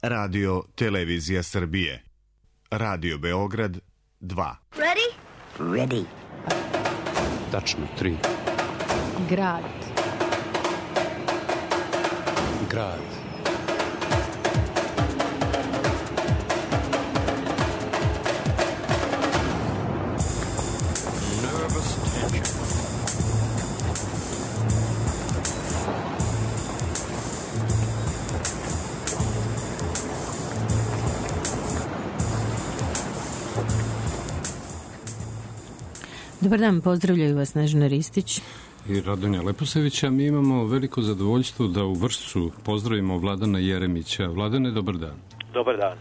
Radio Televizija Srbije. Radio Beograd 2. Ready? Ready. Tačno 3. Grad. Grad. Nervous tension. Dobar dan, pozdravljaju vas Snežana Ristić I Radonja Leposevića. Mi imamo veliko zadovoljstvo da u Vršcu pozdravimo Vladana Jeremića. Vladane, dobar dan. Dobar dan.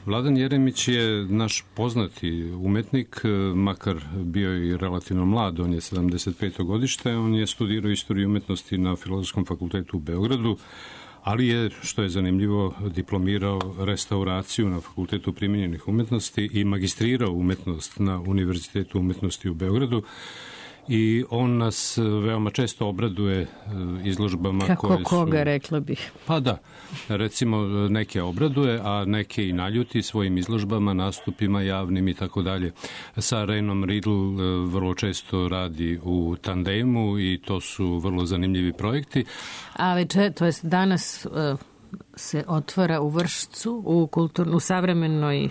Vladan Jeremić je naš poznati umetnik, makar bio i relativno mlad, on je 75. godište, on je studirao istoriju umetnosti na Filozofskom fakultetu u Beogradu, ali je, što je zanimljivo, diplomirao restauraciju na Fakultetu primenjenih umetnosti i magistrirao umetnost na Univerzitetu umetnosti u Beogradu. I on nas veoma često obraduje izložbama kako koje su... koga, rekla bih. Pa da, recimo neke obraduje, a neke i naljuti svojim izložbama, nastupima javnim i tako dalje. Sa Reinom Riedl vrlo često radi u tandemu i to su vrlo zanimljivi projekti. A večer, to jest danas se otvara u Vršcu, u savremenoj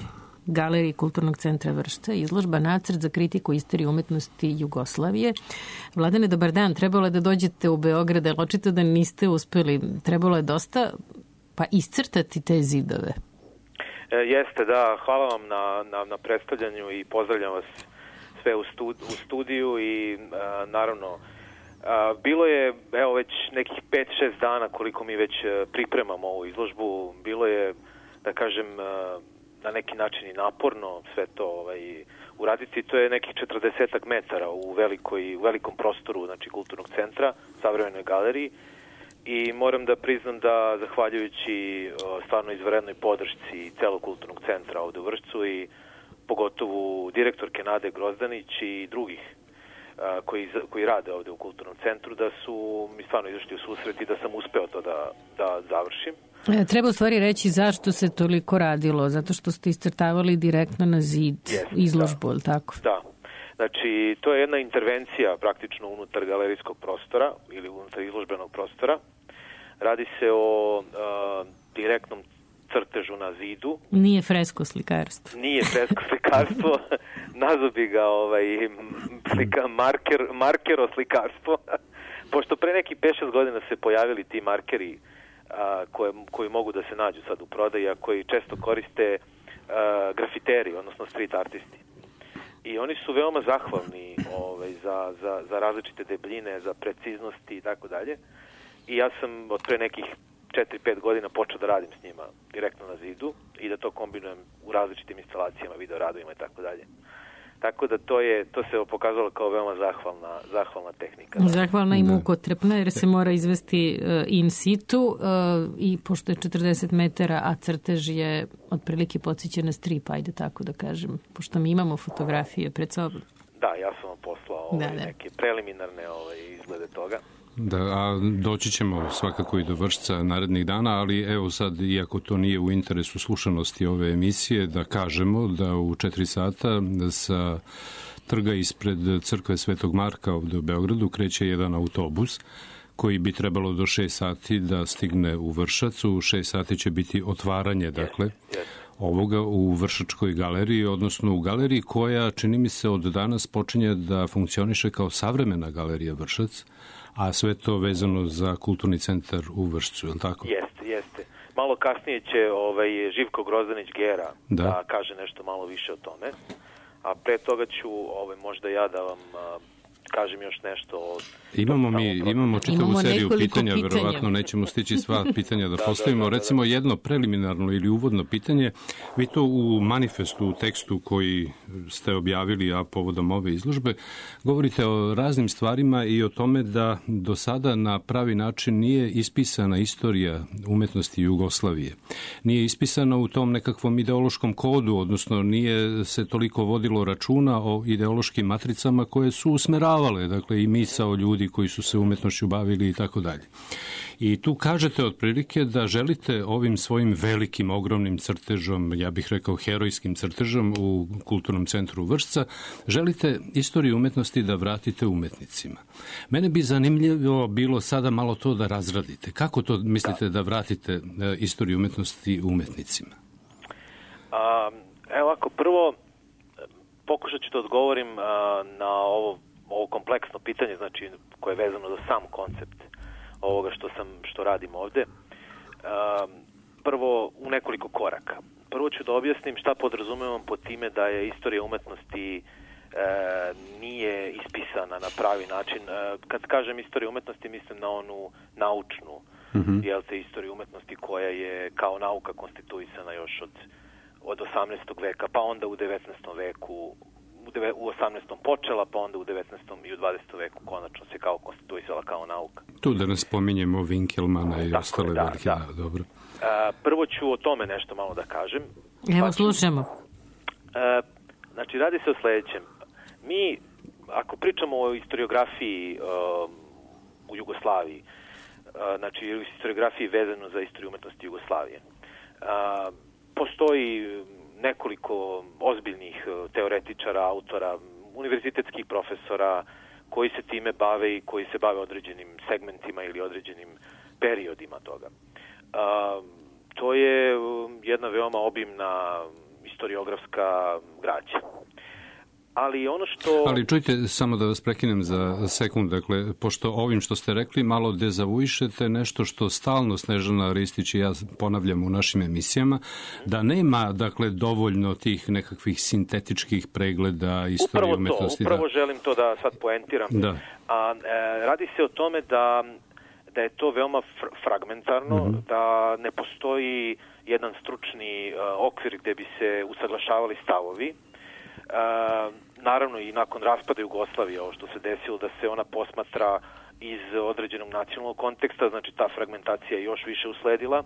Galeriji Kulturnog centra Vršca izložba Nacrt za kritiku istorije umetnosti Jugoslavije. Vladane, dobar dan. Trebalo je da dođete u Beograd, ali očito da niste uspeli. Trebalo je dosta iscrtati te zidove. Jeste, da. Hvala vam na predstavljanju i pozdravljam vas sve u studiju i naravno bilo je već nekih 5-6 dana koliko mi već pripremamo ovu izložbu. Bilo je, da kažem, na neki način i naporno sve to uraditi. To je nekih 40 metara u velikom prostoru, znači kulturnog centra, savremenoj galeriji, i moram da priznam da zahvaljujući stvarno izvanrednoj podršci celog kulturnog centra ovde u Vršcu i pogotovo direktorke Nade Grozdanić i drugih koji rade ovde u kulturnom centru, da su mi stvarno izašli u susret i da sam uspeo to da završim. Treba u stvari reći zašto se toliko radilo, zato što ste iscrtavali direktno na zid izložbu, ili tako? Da, znači to je jedna intervencija praktično unutar galerijskog prostora ili unutar izložbenog prostora. Radi se o direktnom crtežu na zidu. Nije fresko slikarstvo. Nije fresko slikarstvo, nazvao bi ga markero slikarstvo, pošto pre neki 5-6 godina se pojavili ti markeri koji mogu da se nađu sad u prodaji, a koji često koriste grafiteri, odnosno street artisti. I oni su veoma zahvalni za različite debljine, za preciznosti i tako dalje. I ja sam od pre nekih 4-5 godina počeo da radim s njima direktno na zidu i da to kombinujem u različitim instalacijama, videoradovima i tako dalje. Tako da to se pokazalo kao veoma zahvalna tehnika. Zahvalna i mukotrpna, jer se mora izvesti in situ i pošto je 40 metara, a crtež je otprilike podsjeća na strip, ajde tako da kažem, pošto mi imamo fotografije pred sobom. Da, ja sam vam poslao neke preliminarne izglede toga. Da, a doći ćemo svakako i do Vršca narednih dana, ali evo sad, iako to nije u interesu slušanosti ove emisije, da kažemo da u 4 sata sa trga ispred crkve Svetog Marka ovde u Beogradu kreće jedan autobus koji bi trebalo do 6 sati da stigne u Vršac. U 6 sati će biti otvaranje, dakle, ovoga u Vršačkoj galeriji, odnosno u galeriji koja, čini mi se, od danas počinje da funkcioniše kao savremena galerija Vršac, a sve to vezano za kulturni centar u Vršcu, je li tako? Jeste. Malo kasnije će Živko Grozdanić-Gera da kaže nešto malo više o tome, a pre toga ću možda ja da vam kažem još nešto. Imamo čitavu seriju pitanja, verovatno nećemo stići sva pitanja da postavimo. Recimo jedno preliminarno ili uvodno pitanje. Vi to u manifestu, u tekstu koji ste objavili, a povodom ove izložbe, govorite o raznim stvarima i o tome da do sada na pravi način nije ispisana istorija umetnosti Jugoslavije. Nije ispisana u tom nekakvom ideološkom kodu, odnosno nije se toliko vodilo računa o ideološkim matricama koje su usmeravale potkopavale, dakle, i misao ljudi koji su se umetnošću bavili i tako dalje. I tu kažete otprilike da želite ovim svojim velikim, ogromnim crtežom, ja bih rekao herojskim crtežom u Kulturnom centru Vršca, želite istoriju umetnosti da vratite umetnicima. Mene bi zanimljivo bilo sada malo to da razradite. Kako to mislite da vratite istoriju umetnosti umetnicima? Evo ako prvo pokušat ću da odgovorim na ovo kompleksno pitanje, znači koje je vezano za sam koncept ovoga što radim ovde. Prvo u nekoliko koraka. Prvo ću da objasnim šta podrazumevam pod time da je istorija umetnosti nije ispisana na pravi način. Kad kažem istorija umetnosti, mislim na onu naučnu istoriju umetnosti koja je kao nauka konstituisana još od 18. veka, pa onda u 19. veku, u 18. počela, pa onda u 19. i u 20. veku konačno se kao konstituisala kao nauka. Tu da nas spominjemo Winkelmana i ostale velike. Dobro. Prvo ću o tome nešto malo da kažem. Evo, slušamo. Znači, radi se o sledećem. Mi, ako pričamo o historiografiji u Jugoslaviji, znači o historiografiji vezano za istoriju umetnosti Jugoslavije, postoji nekoliko ozbiljnih teoretičara, autora, univerzitetskih profesora koji se time bave i koji se bave određenim segmentima ili određenim periodima toga. To je jedna veoma obimna historiografska građa. Ali čujte, samo da vas prekinem za sekund, dakle, pošto ovim što ste rekli malo dezavuišete nešto što stalno Snežana Ristić i ja ponavljamo u našim emisijama, da nema, dakle, dovoljno tih nekakvih sintetičkih pregleda istorije umetnosti. Upravo želim to da sad poentiram. Radi se o tome da je to veoma fragmentarno, da ne postoji jedan stručni okvir gde bi se usaglašavali stavovi. Naravno i nakon raspada Jugoslavije, ovo što se desilo, da se ona posmatra iz određenog nacionalnog konteksta, znači ta fragmentacija je još više usledila.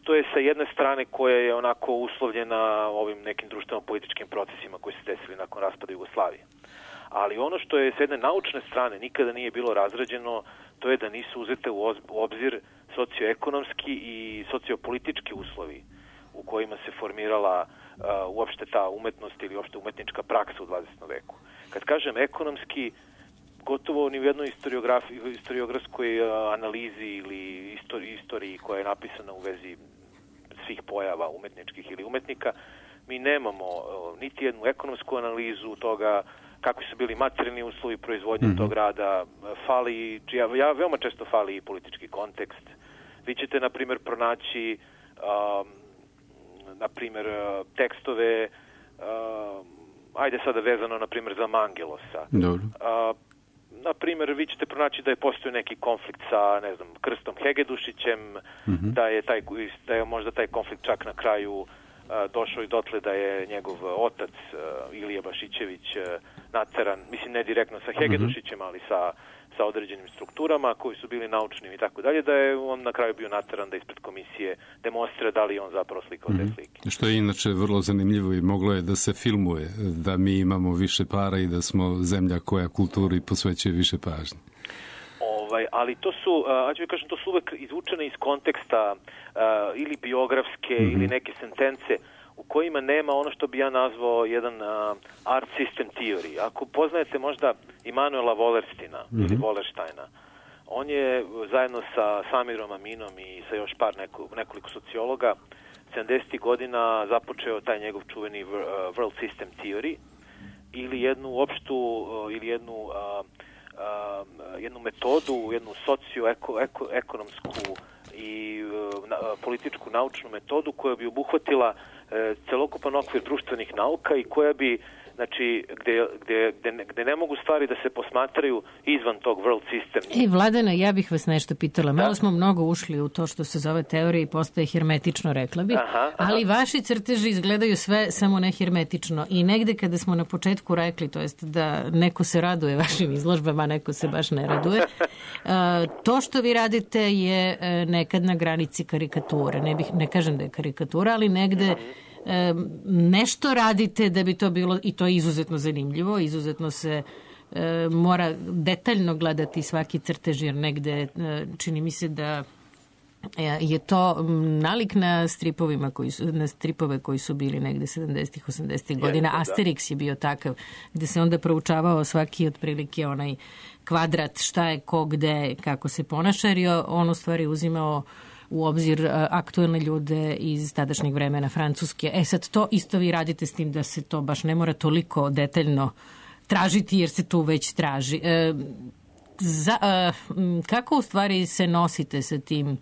To je sa jedne strane koja je onako uslovljena ovim nekim društveno-političkim procesima koji se desili nakon raspada Jugoslavije. Ali ono što je sa jedne naučne strane nikada nije bilo razrađeno, to je da nisu uzete u obzir socioekonomski i sociopolitički uslovi u kojima se formirala uopšte ta umetnost ili uopšte umetnička praksa u 20. veku. Kad kažem ekonomski, gotovo ni u jednoj historiografskoj analizi ili istoriji koja je napisana u vezi svih pojava umetničkih ili umetnika, mi nemamo niti jednu ekonomsku analizu toga kakvi su bili materijalni uslovi proizvodnje tog rada, veoma često fali i politički kontekst. Vi ćete, na primjer, pronaći tekstove, ajde sada vezano, na primjer, za Mangelosa. Dobro. Na primjer, vi ćete pronaći da je postojao neki konflikt sa, ne znam, Krstom Hegedušićem, da je možda taj konflikt čak na kraju došao i dotle da je njegov otac, Ilija Bašićević, nateran, mislim ne direktno sa Hegedušićem, ali sa određenim strukturama koji su bili naučnim i tako dalje, da je on na kraju bio nateran da ispred komisije demonstrira da li on zapravo slikao te slike. Što je inače vrlo zanimljivo i moglo je da se filmuje, da mi imamo više para i da smo zemlja koja kulturi posvećuje više pažnje. Ali to su, to su uvek izvučene iz konteksta ili biografske ili neke sentence u kojima nema ono što bi ja nazvao jedan art system theory. Ako poznajete možda Immanuela Wallerstina ili Wallersteina, on je zajedno sa Samirom Aminom i sa još nekoliko sociologa 70. godina započeo taj njegov čuveni world system theory ili jednu opštu ili jednu metodu, jednu socioekonomsku i političku naučnu metodu koja bi obuhvatila celokupan okvir društvenih nauka i koja bi, znači, gde ne mogu stvari da se posmatraju izvan tog world system. Vladana, ja bih vas nešto pitala. Malo smo mnogo ušli u to što se zove teorija i postaje hermetično, rekla bih, ali vaši crteži izgledaju sve samo ne hermetično. I negde kada smo na početku rekli, to jest da neko se raduje vašim izložbama, neko se baš ne raduje, to što vi radite je nekad na granici karikature. Ne kažem da je karikatura, ali negde nešto radite da bi to bilo, i to je izuzetno zanimljivo, izuzetno se mora detaljno gledati svaki crtež, jer negde čini mi se da je to nalik na stripove koji su bili negde 70-ih, 80-ih godina. Asterix je bio takav, gde se onda proučavao svaki otprilike onaj kvadrat, šta je ko, gde, kako se ponaša, jer je on u stvari uzimao u obzir aktuelne ljude iz tadašnjeg vremena Francuske. Sad to isto vi radite, s tim da se to baš ne mora toliko detaljno tražiti, jer se tu već traži. Kako u stvari se nosite sa tim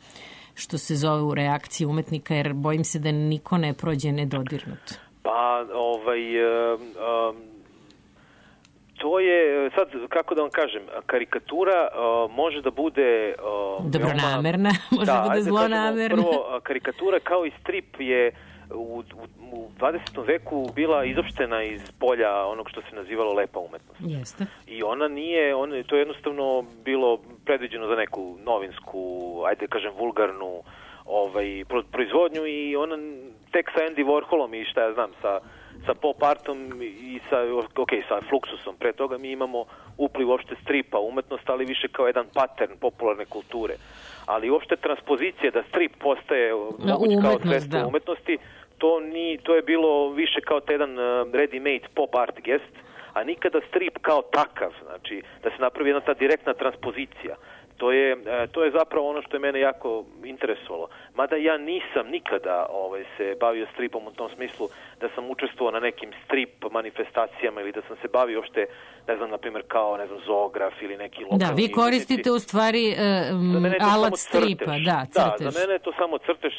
što se zove reakcije umetnika, jer bojim se da niko ne prođe nedodirnut? Pa, to je, sad, kako da vam kažem, karikatura može da bude dobronamerna, može da bude zlonamerna. Prvo, karikatura kao i strip je u 20. veku bila izopštena iz polja onog što se nazivalo lepa umetnost. Jeste. I ona nije, to je jednostavno bilo predviđeno za neku novinsku, ajde kažem vulgarnu proizvodnju, i ona tek sa Andy Warholom i šta ja znam, sa pop artom i sa Fluxusom. Pre toga mi imamo upliv uopšte stripa umetnost, ali više kao jedan pattern popularne kulture. Ali uopšte transpozicija da strip postaje moguć kao sredstvo umetnosti, to je bilo više kao jedan ready-made pop art gest, a nikada strip kao takav, znači da se napravi jedna ta direktna transpozicija. To je zapravo ono što je mene jako interesovalo. Mada ja nisam nikada se bavio stripom u tom smislu da sam učestvovao na nekim strip manifestacijama ili da sam se bavio uopšte, ne znam, na primjer kao, ne znam, zoograf ili neki lokalni... Da, vi koristite u stvari alat stripa. Da, za mene je to samo crtež,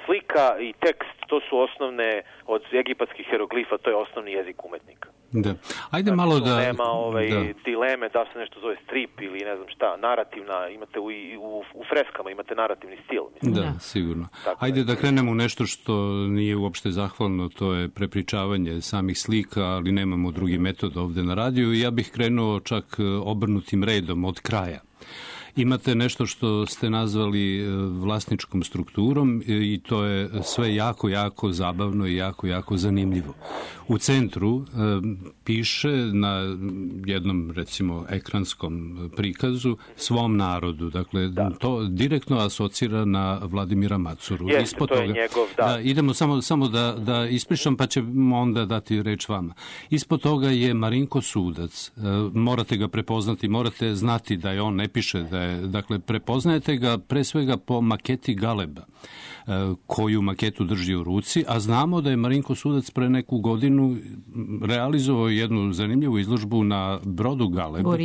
slika i tekst, to su osnovne, od egipatskih hieroglifa, to je osnovni jezik umetnika. Da. Ajde malo da... Nema dileme da se nešto zove strip ili ne znam šta, narativna, imate u freskama, imate narativni stil. Mislim. Da, sigurno. Ajde da krenemo u nešto što nije uopšte zahvalno, to je prepričavanje samih slika, ali nemamo drugi metod ovde na radiju. Ja bih krenuo čak obrnutim redom od kraja. Imate nešto što ste nazvali vlasničkom strukturom i to je sve jako, jako zabavno i jako, jako zanimljivo. U centru piše na jednom, recimo, ekranskom prikazu svom narodu. Dakle, to direktno asocira na Vladimira Macuru. Jeste, to je njegov, da. Idemo samo da ispričam, pa ćemo onda dati reč vama. Ispod toga je Marinko Sudac. Morate ga prepoznati, morate znati da je on, ne piše da je, dakle, prepoznajete ga pre svega po maketi Galeba, koju maketu drži u ruci, a znamo da je Marinko Sudac pre neku godinu realizovao jednu zanimljivu izložbu na brodu Galeb, koji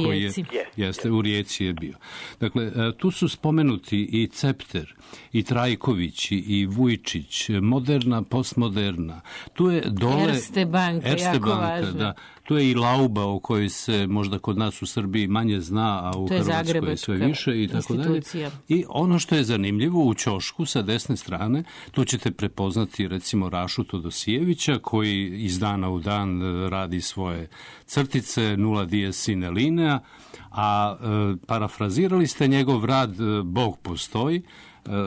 je u Rijeci je bio. Dakle, tu su spomenuti i Cepter, i Trajković, i Vujčić, moderna, postmoderna. Tu je dole Erste banka, jako važno. Da. Tu je i Lauba, o kojoj se možda kod nas u Srbiji manje zna, a u Hrvatskoj je sve više i tako dalje. I ono što je zanimljivo, u ćošku sa desne strane, tu ćete prepoznati recimo Rašu Todosijevića, koji iz dana u dan radi svoje crtice Nulla dies sine linea, a parafrazirali ste njegov rad Bog postoji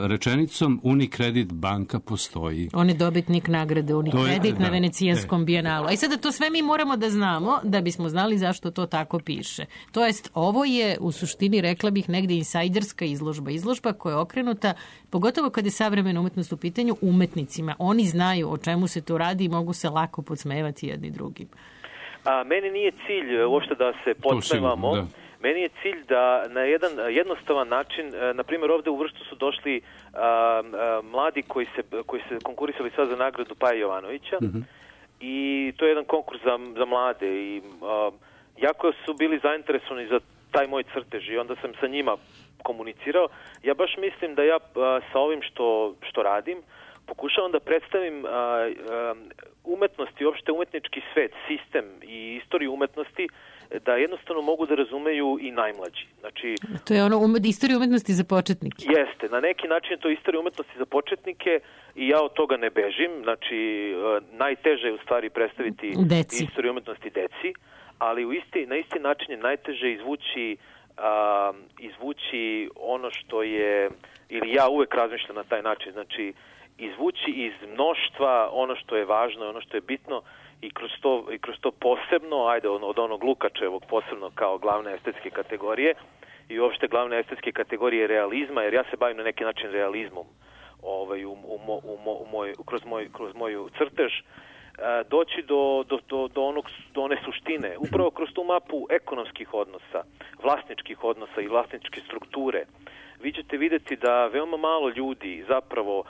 rečenicom Unicredit banka postoji. On je dobitnik nagrade Unicredit na Venecijanskom bijenalu. A i sada to sve mi moramo da znamo da bismo znali zašto to tako piše. To jest, ovo je u suštini, rekla bih, negde insajderska izložba. Izložba koja je okrenuta, pogotovo kad je savremena umetnost u pitanju, umetnicima. Oni znaju o čemu se tu radi i mogu se lako podsmevati jedni drugim. Meni nije cilj uopšte da se podsmevamo. Meni je cilj da na jedan jednostavan način, na primjer ovde u Vršcu su došli mladi koji se konkurisali sad za nagradu Paje Jovanovića, i to je jedan konkurs za mlade i jako su bili zainteresovani za taj moj crtež i onda sam sa njima komunicirao. Ja baš mislim da ja sa ovim što radim pokušavam da predstavim umetnost i uopšte umetnički svet, sistem i istoriju umetnosti, da jednostavno mogu da razumeju i najmlađi. Znači, to je ono istorija umetnosti za početnike. Jeste, na neki način je to istorija umetnosti za početnike i ja od toga ne bežim. Znači, najteže je u stvari predstaviti istoriju umetnosti deci, ali na isti način je najteže izvući ono što je, ili ja uvek razmišljam na taj način, znači izvući iz mnoštva ono što je važno, ono što je bitno i kroz to posebno, od onog Lukačevog posebno kao glavne estetske kategorije i uopšte glavne estetske kategorije realizma, jer ja se bavim na neki način realizmom kroz moju crtež, doći do one suštine. Upravo kroz tu mapu ekonomskih odnosa, vlasničkih odnosa i vlasničke strukture, vi ćete vidjeti da veoma malo ljudi zapravo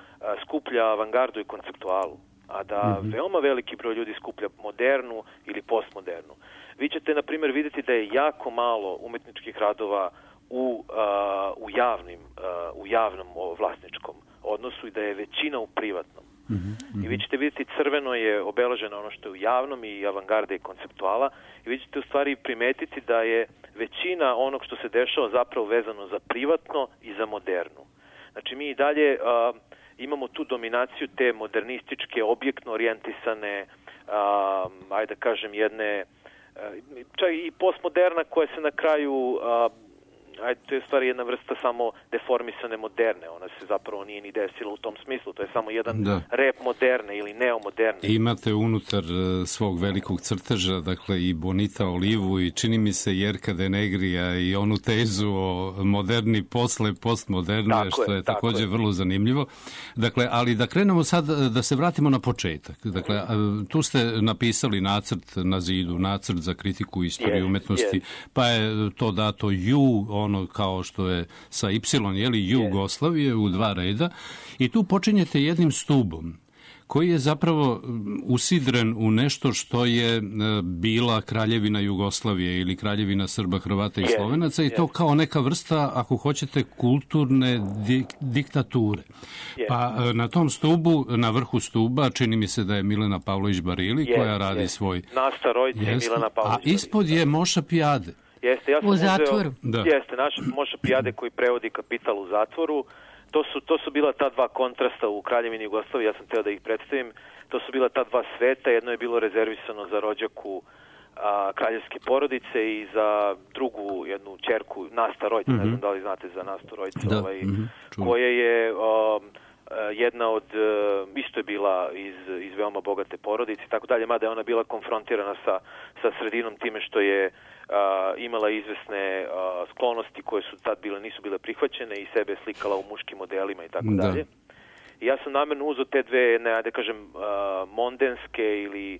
skuplja avangardu i konceptualu, a da veoma veliki broj ljudi skuplja modernu ili postmodernu. Vi ćete, na primjer, vidjeti da je jako malo umetničkih radova u javnom vlasničkom odnosu i da je većina u privatnom. I vi ćete vidjeti crveno je obeleženo ono što je u javnom i avangarde i konceptuala i vi ćete u stvari primetiti da je većina onog što se dešava zapravo vezano za privatno i za modernu. Znači mi i dalje imamo tu dominaciju te modernističke, objektno orijentisane, ajde da kažem jedne, čak i postmoderna koja se na kraju to je stvari jedna vrsta samo deformisane moderne. Ona se zapravo nije ni desila u tom smislu. To je samo jedan rep moderne ili neomoderne. Imate unutar svog velikog crteža, dakle i Bonita Olivu i čini mi se Jerka de Negrija i onu tezu o moderni posle postmoderne, što je također vrlo zanimljivo. Dakle, ali da krenemo sad, da se vratimo na početak. Dakle, tu ste napisali nacrt na zidu, nacrt za kritiku istorije umetnosti, pa je to dato ono kao što je sa Y, Jugoslavije u 2 reda i tu počinjete jednim stubom koji je zapravo usidren u nešto što je bila Kraljevina Jugoslavije ili Kraljevina Srba, Hrvata i Slovenaca i to kao neka vrsta, ako hoćete, kulturne diktature. Pa na tom stubu, na vrhu stuba, čini mi se da je Milena Pavlović Barili koja radi svoj... Nasta Rojci i Milena Pavlović. A ispod je Moša Pijade. Jeste, ja sam u zatvoru. Jeste, naš Moša Pijade koji prevodi Kapital u zatvoru. To su bila ta dva kontrasta u Kraljevini Jugoslavije, ja sam teo da ih predstavim. To su bila ta dva sveta, jedno je bilo rezervisano za rođaku kraljevske porodice i za drugu jednu ćerku, Nasta Rojc, ne znam da li znate za Nastu Rojc, koja je jedna od, isto je bila iz veoma bogate porodice i tako dalje, mada je ona bila konfrontirana sa sredinom time što je imala izvesne sklonosti koje su tad nisu bile prihvaćene i sebe slikala u muškim modelima i tako dalje. I ja sam namjerno uzeo te dve, da kažem, mondenske ili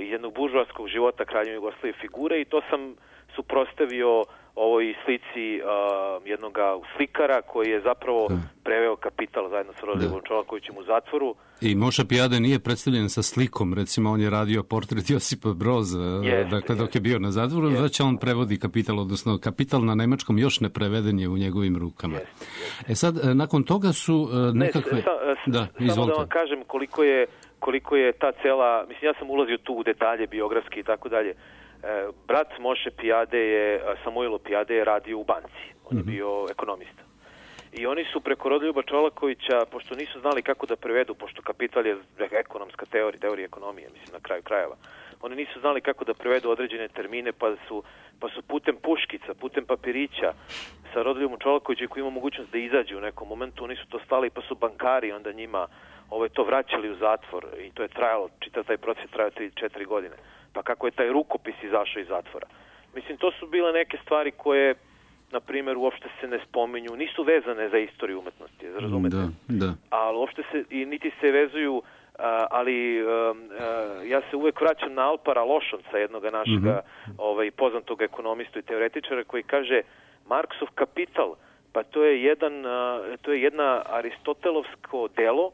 iz jednog buržoaskog života Kraljevine Jugoslavije figure i to sam suprotstavio ovoj slici jednog slikara koji je zapravo preveo Kapital zajedno sa Rodoljubovom Čolakovićem u zatvoru. I Moša Pijade nije predstavljen sa slikom, recimo on je radio portret Josipa Broza, dakle dok je bio na zatvoru, već on prevodi Kapital, odnosno Kapital na nemačkom još ne preveden je u njegovim rukama. Sad, nakon toga su nekakve... Samo da vam kažem koliko je ta cela, mislim ja sam ulazio tu u detalje biografski i tako dalje. Brat Moše Pijade Samuilo Pijade je radio u banci. On je bio ekonomista. I oni su preko Rodoljuba Čolakovića, pošto nisu znali kako da prevedu, pošto Kapital je ekonomska teorija ekonomije, mislim na kraju krajeva. Oni nisu znali kako da prevedu određene termine, pa su putem puškica, putem papirića sa Rodoljubom Čolakovićem koji ima mogućnost da izađu u nekom momentu, oni su to stali, pa su bankari onda njima to vraćali u zatvor i to je trajalo, čitav taj proces trajao 3-4 godine. Pa kako je taj rukopis izašao iz zatvora. Mislim, to su bile neke stvari koje, na primjer, uopšte se ne spominju, nisu vezane za istoriju umetnosti, razumete? Da. Ali uopšte se, i niti se vezuju, ali ja se uvek vraćam na Alpara Lošonca, jednoga našega poznatog ekonomistu i teoretičara, koji kaže Marksov Kapital, pa to je jedna aristotelovsko delo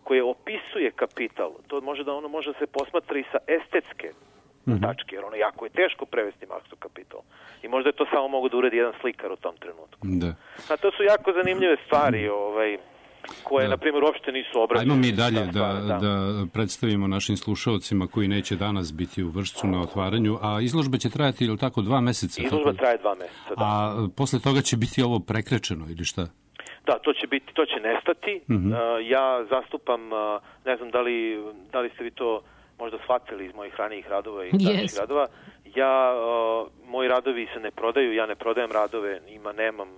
koje opisuje kapital. To ono može se posmatra i sa estetske tačke, jer ono jako je teško prevesti Marksov Kapital. I možda je to samo mogu da uredi jedan slikar u tom trenutku. A to su jako zanimljive stvari koje, na primjer, uopšte nisu obrađene. Ajmo mi dalje da predstavimo našim slušalcima koji neće danas biti u Vršcu na otvaranju, a izložba će trajati, ili tako, 2 meseca? Izložba traje 2 meseca, da. A posle toga će biti ovo prekrečeno, ili šta? Da, to će nestati. Ja zastupam, ne znam da li ste vi to možda shvatili iz mojih ranijih radova i tadašnjih radova. Moji radovi se ne prodaju, ja ne prodajem radove, nemam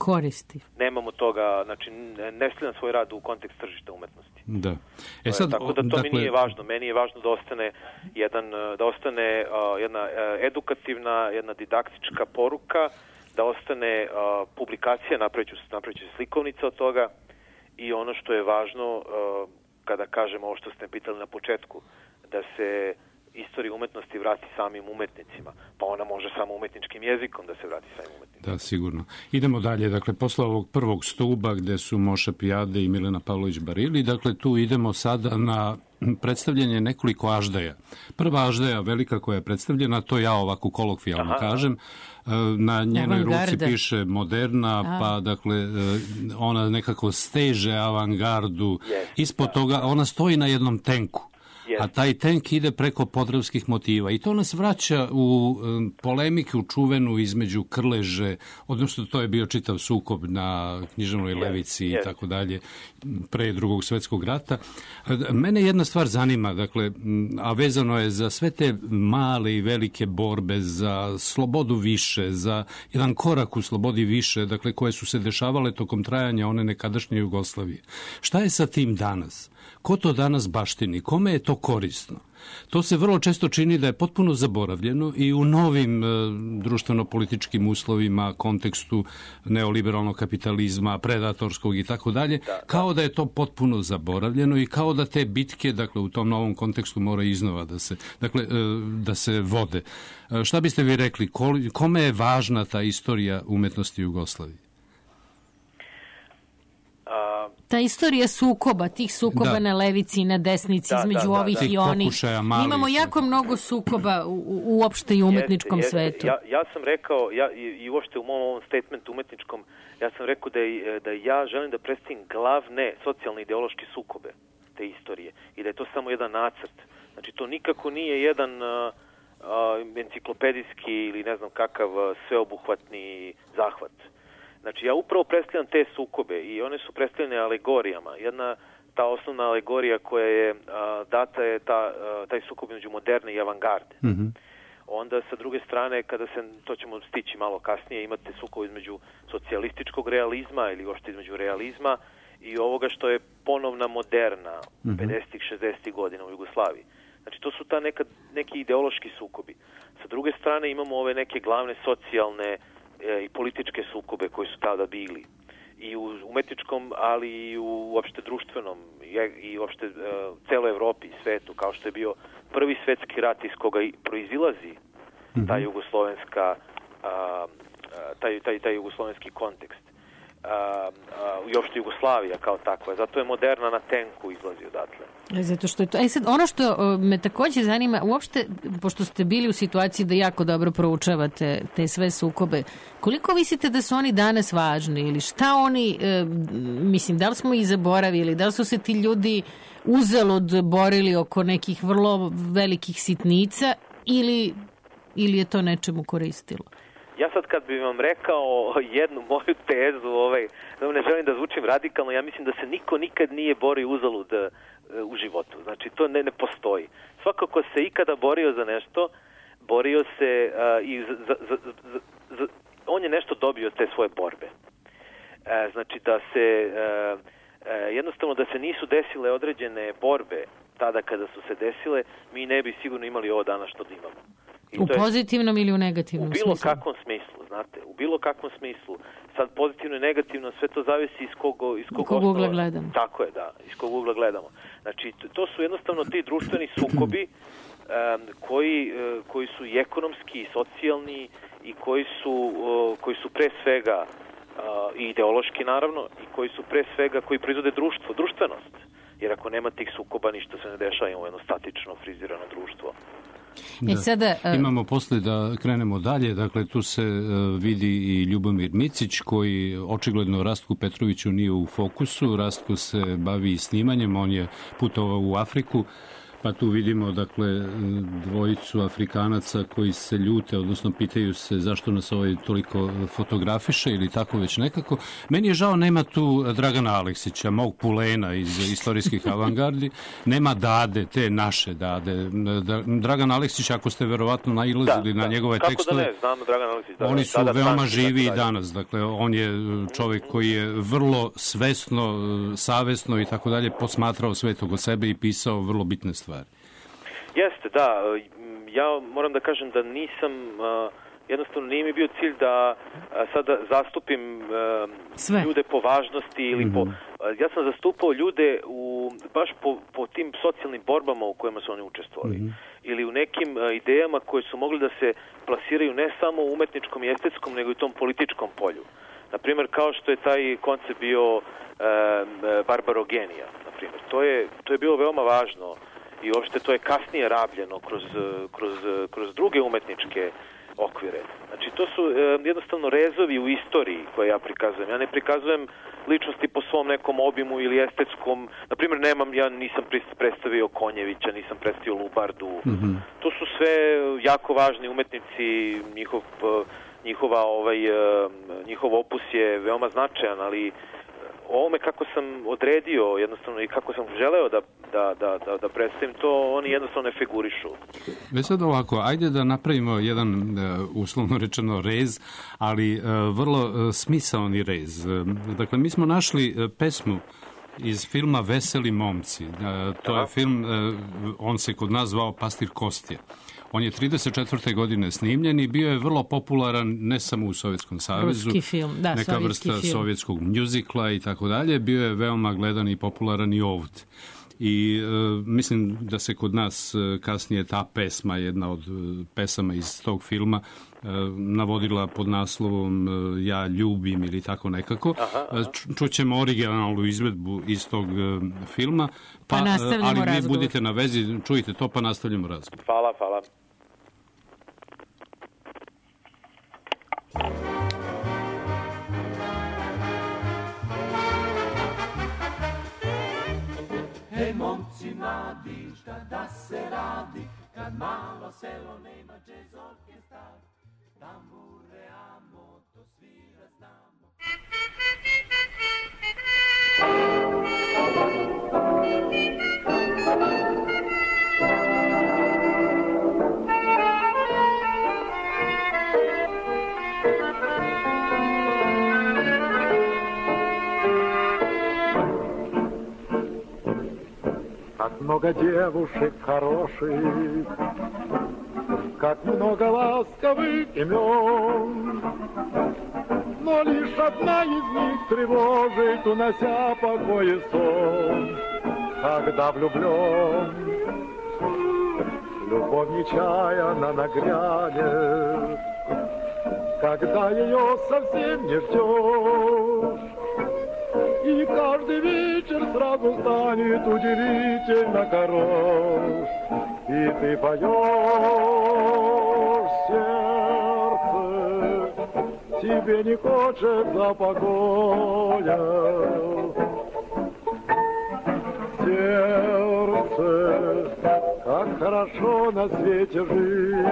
koristi. Nemamo toga, znači ne stavljam svoj rad u kontekst tržišta umetnosti. Da. Tako da to mi nije važno. Meni je važno da ostane jedna edukativna, jedna didaktička poruka, da ostane publikacija, napraviću se slikovnica od toga i ono što je važno, kada kažemo ovo što ste pitali na početku, da se istorija umetnosti vrati samim umetnicima, pa ona može samo umetničkim jezikom da se vrati samim umetnicima. Da, sigurno. Idemo dalje, dakle, posle ovog prvog stuba gde su Moša Pijade i Milena Pavlović-Barili, dakle, tu idemo sada na predstavljanje nekoliko aždaja. Prva aždaja velika koja je predstavljena, to ja ovako kolokvijalno kažem, na njenoj ruci piše moderna, pa dakle ona nekako steže avangardu. Ispod toga ona stoji na jednom tenku. A taj tenk ide preko podravskih motiva i to nas vraća u polemiku čuvenu između Krleže, odnosno to je bio čitav sukob na Književnoj levici i tako dalje pre Drugog svetskog rata. Mene jedna stvar zanima, dakle, a vezano je za sve te male i velike borbe za slobodu više, za jedan korak u slobodi više, dakle, koje su se dešavale tokom trajanja one nekadašnje Jugoslavije. Šta je sa tim danas? Ko to danas baštini? Kome je to korisno? To se vrlo često čini da je potpuno zaboravljeno i u novim društveno-političkim uslovima, kontekstu neoliberalnog kapitalizma, predatorskog i tako dalje, kao da je to potpuno zaboravljeno i kao da te bitke, dakle, u tom novom kontekstu mora iznova da se vode. Šta biste vi rekli? Kome je važna ta istorija umetnosti Jugoslavije? Ta istorija sukoba, tih sukoba na levici i na desnici, između ovih i onih. Imamo jako mnogo sukoba uopšte i u umetničkom svetu. Ja sam rekao, i uopšte u mom ovom statementu umetničkom, ja sam rekao da ja želim da predstavim glavne socijalne ideološke sukobe te istorije i da je to samo jedan nacrt. Znači, to nikako nije jedan enciklopedijski ili ne znam kakav sveobuhvatni zahvat. Znači, ja upravo predstavljam te sukobe i one su predstavljene alegorijama. Jedna, ta osnovna alegorija koja je data je taj sukob između moderne i avangarde. Onda, sa druge strane, to ćemo stići malo kasnije, imate sukob između socijalističkog realizma ili uopšte između realizma i ovoga što je ponovna moderna 50-ih, 60-ih godina u Jugoslaviji. Znači, to su neki ideološki sukobi. Sa druge strane, imamo ove neke glavne socijalne i političke sukobe koji su tada bili i u umetničkom, ali i u uopšte društvenom i uopšte celoj Evropi i svetu, kao što je bio prvi svetski rat iz koga proizilazi ta jugoslovenska taj jugoslovenski kontekst i uopšte Jugoslavija kao takva. Zato je moderna na tenku izlazi odatle. Zato što je to. Sad, ono što me takođe zanima, uopšte, pošto ste bili u situaciji da jako dobro proučavate te sve sukobe, koliko mislite da su oni danas važni ili šta oni, mislim, da li smo ih zaboravili, da li su se ti ljudi uzalud borili oko nekih vrlo velikih sitnica ili je to nečemu koristilo? Ja sad kad bih vam rekao jednu moju tezu, ne želim da zvučim radikalno, ja mislim da se niko nikad nije borio uzalud u životu. Znači, to ne postoji. Svako ko se ikada borio za nešto, borio se i on je nešto dobio te svoje borbe. Znači, da se jednostavno da se nisu desile određene borbe tada kada su se desile, mi ne bi sigurno imali ovo danas što da imamo. U pozitivnom ili u negativnom smislu? U bilo kakvom smislu, znate. U bilo kakvom smislu. Sad pozitivno i negativno, sve to zavisi iz kog ugla gledamo. Tako je, da. Iz kog ugla gledamo. Znači, to su jednostavno ti društveni sukobi koji su i ekonomski i socijalni i koji su pre svega i ideološki, naravno, i koji proizvode društvenost. Jer ako nema tih sukoba, ništa se ne dešava, imamo jedno statično, frizirano društvo. Imamo posle da krenemo dalje, dakle tu se vidi i Ljubomir Micić koji očigledno Rastku Petroviću nije u fokusu, Rastko se bavi snimanjem, on je putovao u Afriku, Pa tu vidimo, dakle, dvojicu Afrikanaca koji se ljute, odnosno pitaju se zašto nas ovaj toliko fotografiše ili tako već nekako. Meni je žao, nema tu Dragana Aleksića, mog pulena iz istorijskih avangardi, nema Dade, te naše Dade. Dragan Aleksić, ako ste verovatno nailazili na njegove tekstove, kako da ne, znam Dragan Aleksić, oni su veoma živi i danas. Dakle, on je čovjek koji je vrlo svesno, savesno i tako dalje posmatrao svet oko sebe i pisao vrlo bitne stvari. Jeste, da. Ja moram da kažem da nisam, jednostavno nije mi bio cilj da sada zastupim ljude po važnosti ili ja sam zastupao ljude baš po tim socijalnim borbama u kojima su oni učestvovali. Ili u nekim idejama koje su mogli da se plasiraju ne samo u umetničkom i estetskom, nego i u tom političkom polju. Naprimjer, kao što je taj koncept bio barbarogenija, naprimjer. To je bilo veoma važno i uopšte to je kasnije rabljeno kroz druge umetničke okvire. Znači, to su jednostavno rezovi u istoriji koje ja prikazujem. Ja ne prikazujem ličnosti po svom nekom obimu ili estetskom. Naprimjer, ja nisam predstavio Konjevića, nisam predstavio Lubardu. To su sve jako važni umetnici, njihov opus je veoma značajan, ali ovome kako sam odredio jednostavno i kako sam želeo da predstavim to, oni jednostavno ne figurišu. Sad ovako, ajde da napravimo jedan, uslovno rečeno, rez, ali vrlo smisaoni rez. Dakle, mi smo našli pesmu iz filma Veseli momci. To je film, on se kod nas zvao Pastir Kostje. On je 34. godine snimljen i bio je vrlo popularan ne samo u Sovjetskom savezu, neka vrsta sovjetskog mjuzikla i tako dalje. Bio je veoma gledan i popularan i ovdje. I mislim da se kod nas kasnije ta pesma, jedna od pesama iz tog filma, navodila pod naslovom Ja ljubim ili tako nekako. Čućemo originalnu izvedbu iz tog filma, ali vi budite na vezi, čujte to pa nastavljamo razgovor. Hvala. Hej momci mladi, šta da se radi, kad malo selo nema džez orkestar, tambure amo, to svira znamo. Как много девушек хороших, как много ласковых имен, но лишь одна из них тревожит, унося покой и сон. Когда влюблен, любовь нечаянно нагрянет, когда ее совсем не ждешь. И каждый вечер сразу станет удивительно хорош. И ты поешь, сердце, тебе не хочется покоя. Сердце, как хорошо на свете жить.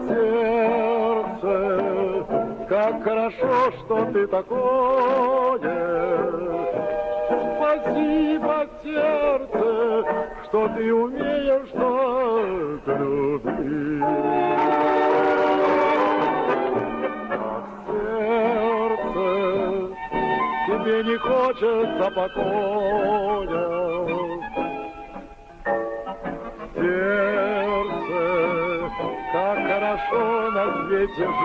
Сердце, как хорошо, что ты такое. Спасибо, сердце, что ты умеешь так любить. Ах, сердце, тебе не хочется покоя. Сердце, как хорошо на свете жить.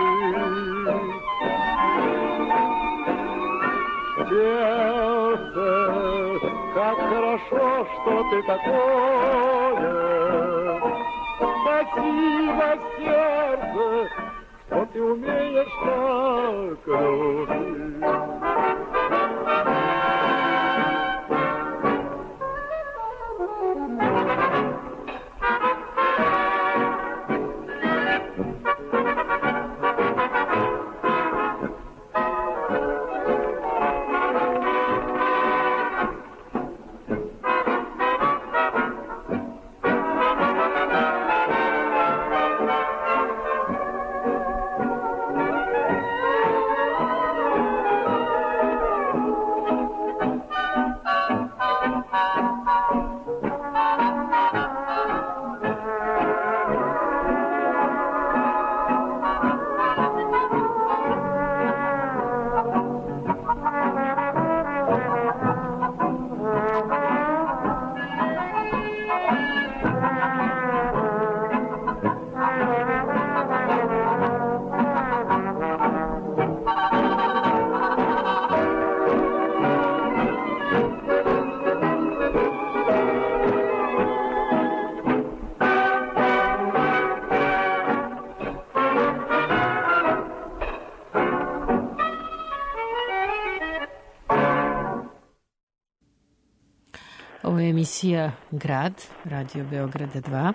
Сердце, как хорошо, что ты такое. Спасибо, сердце, что ты умеешь так любить. Ovo je emisija Grad, Radio Beograda 2.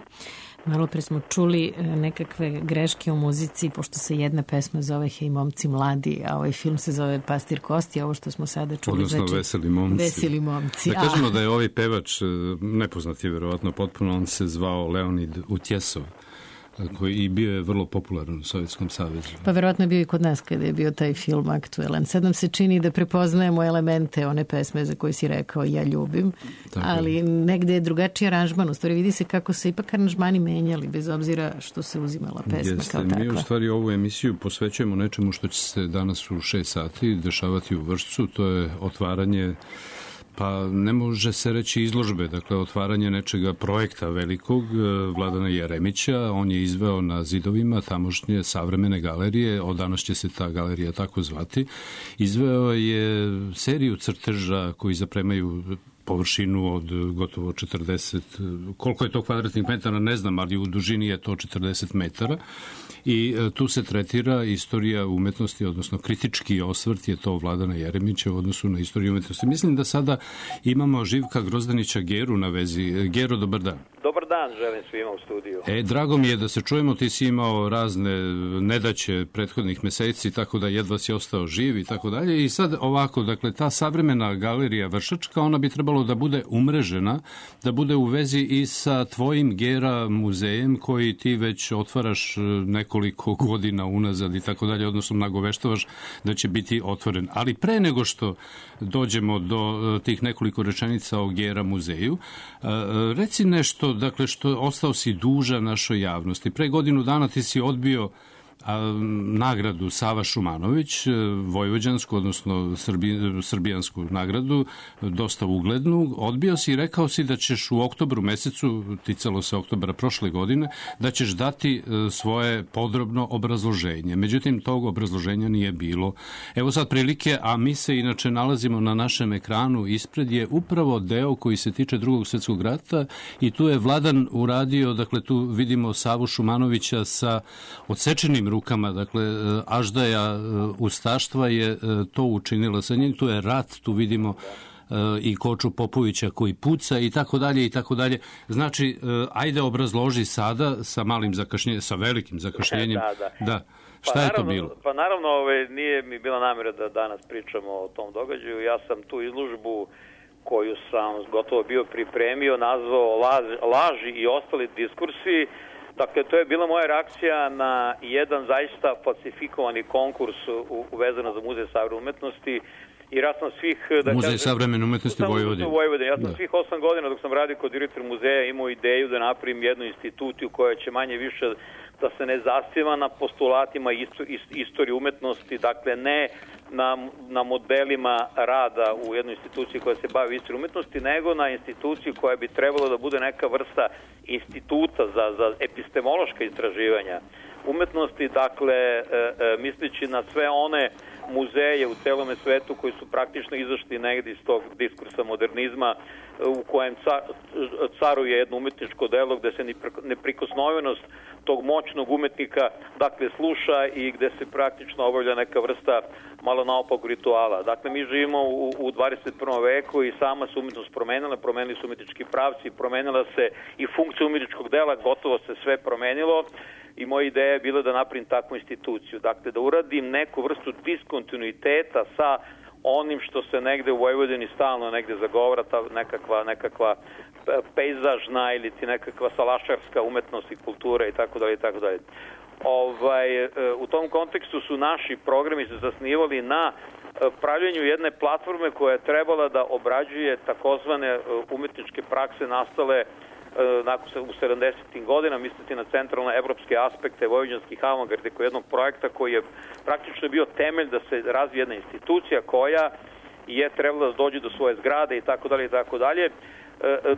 Malo pre smo čuli nekakve greške u muzici, pošto se jedna pesma zove Hej momci mladi, a ovaj film se zove Pastir Kosti, a ovo što smo sada čuli... Odnosno znači, Veseli momci. Veseli momci. Da kažemo da je ovaj pevač, nepoznat je verovatno potpuno, on se zvao Leonid Utjesov, koji i bio je vrlo popularan u Sovjetskom savezu. Pa verovatno je bio i kod nas kada je bio taj film aktuelan. Sad nam se čini da prepoznajemo elemente one pesme za koje si rekao ja ljubim, ali negde je drugačiji aranžman. U stvari vidi se kako se ipak aranžmani menjali, bez obzira što se uzimala pesma kao takva. Mi u stvari ovu emisiju posvećujemo nečemu što će se danas u 6 sati dešavati u Vršcu. To je otvaranje, pa ne može se reći izložbe, dakle otvaranje nečega projekta velikog Vladana Jeremića. On je izveo na zidovima tamošnje savremene galerije, od danas će se ta galerija tako zvati. Izveo je seriju crteža koji zapremaju površinu od gotovo 40, koliko je to kvadratnih metara, ne znam, ali u dužini je to 40 metara. I tu se tretira istorija umetnosti, odnosno kritički osvrt je to Vladana Jeremića u odnosu na istoriju umetnosti. Mislim da sada imamo Živka Grozdanića Geru na vezi. Gero, dobar dan. Dobar dan, želim svima u studiju. Drago mi je da se čujemo, ti si imao razne nedaće prethodnih meseci, tako da jedva si ostao živ i tako dalje. I sad ovako, dakle, ta savremena galerija Vršačka, ona bi trebalo da bude umrežena, da bude u vezi i sa tvojim Gera muzejem koji ti već otvaraš nekoliko godina unazad i tako dalje, odnosno nagoveštavaš da će biti otvoren. Ali pre nego što dođemo do tih nekoliko rečenica o Gera muzeju, reci nešto, dakle, što ostao si dužan našoj javnosti. Pre godinu dana ti si odbio nagradu Sava Šumanović, vojvođansku, odnosno srbijansku nagradu, dosta uglednu. Odbio si i rekao si da ćeš u oktobru mesecu, ticalo se oktobra prošle godine, da ćeš dati svoje podrobno obrazloženje. Međutim, tog obrazloženja nije bilo. Evo sad prilike, a mi se inače nalazimo na našem ekranu, ispred je upravo deo koji se tiče Drugog svjetskog rata i tu je Vladan uradio, dakle tu vidimo Savu Šumanovića sa odsečenim rukama, dakle, Aždaja ustaštva je to učinila sa njim, tu je rat, tu vidimo i Koču Popovića koji puca i tako dalje i tako dalje. Znači, ajde obrazloži sada sa malim zakašnjenjem, sa velikim zakašnjenjem. Da. Šta je to bilo? Pa naravno, nije mi bila namjera da danas pričamo o tom događaju. Ja sam tu izložbu koju sam gotovo bio pripremio, nazvao Laži i ostali diskursi. Dakle, to je bila moja reakcija na jedan zaista falsifikovani konkurs vezano za Muzej savremene umetnosti. Jer ja sam svih... Muzej savremene umetnosti Vojvodine. Ja sam svih 8 godina dok sam radio kao direktor muzeja imao ideju da napravim jednu instituciju koja će manje više da se ne zasniva na postulatima istorije umetnosti, dakle ne na modelima rada u jednoj instituciji koja se bavi istorijom umetnosti, nego na instituciju koja bi trebala da bude neka vrsta instituta za epistemološka istraživanja umetnosti, dakle misleći na sve one muzeje u celome svetu koji su praktično izašli negdje iz tog diskursa modernizma u kojem caruje jedno umetničko delo gde se neprikosnovenost tog moćnog umetnika dakle sluša i gde se praktično obavlja neka vrsta malo naopakog rituala. Dakle, mi živimo u 21. veku i sama se umetnost promenila, promenili su umetnički pravci, promenila se i funkcija umetničkog dela, gotovo se sve promenilo. I moja ideja je bila da napravim takvu instituciju. Dakle, da uradim neku vrstu diskontinuiteta sa onim što se negde u Vojvodini stalno negde zagovara, ta nekakva pejzažna ili ti nekakva salašarska umetnost i kultura i tako dalje i tako dalje. U tom kontekstu su naši programi se zasnivali na pravljenju jedne platforme koja je trebala da obrađuje takozvane umetničke prakse nastale u 70. godina, misliti na centralne evropske aspekte vojvođanskih avangarde kao jednog projekta koji je praktično bio temelj da se razvije jedna institucija koja je trebala da dođe do svoje zgrade i tako dalje i tako dalje,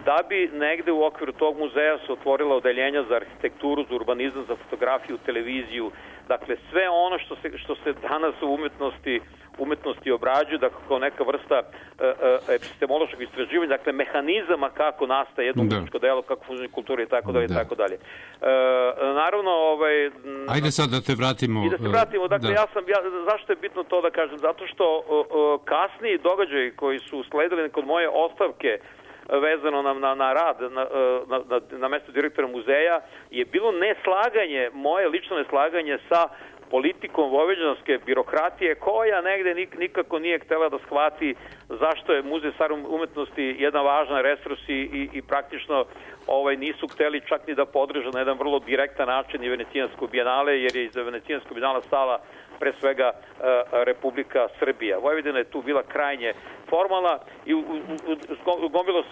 da bi negde u okviru tog muzeja se otvorila odeljenja za arhitekturu, za urbanizam, za fotografiju, televiziju, dakle sve ono što se danas u umetnosti obrađuje, dakle kao neka vrsta epistemološkog istraživanja, dakle mehanizama kako nastaje jedno umetničko delo, kako funkcionira kultura i tako dalje i tako dalje. Naravno, ajde sad da te vratimo. I da se vratimo, dakle zašto je bitno to da kažem? Zato što kasniji događaji koji su sledili kod moje ostavke vezano na rad na mesto direktora muzeja je bilo neslaganje, moje lično neslaganje sa politikom vojvođanske birokratije koja negde nikako nije htela da shvati zašto je Muzej savremene umetnosti jedan važan resurs i praktično nisu hteli čak ni da podrže na jedan vrlo direktan način i Venecijansko bijenale, jer je iz Venecijanskog bijenala stala pre svega Republika Srbija. Vojvodina je tu bila krajnje formalna i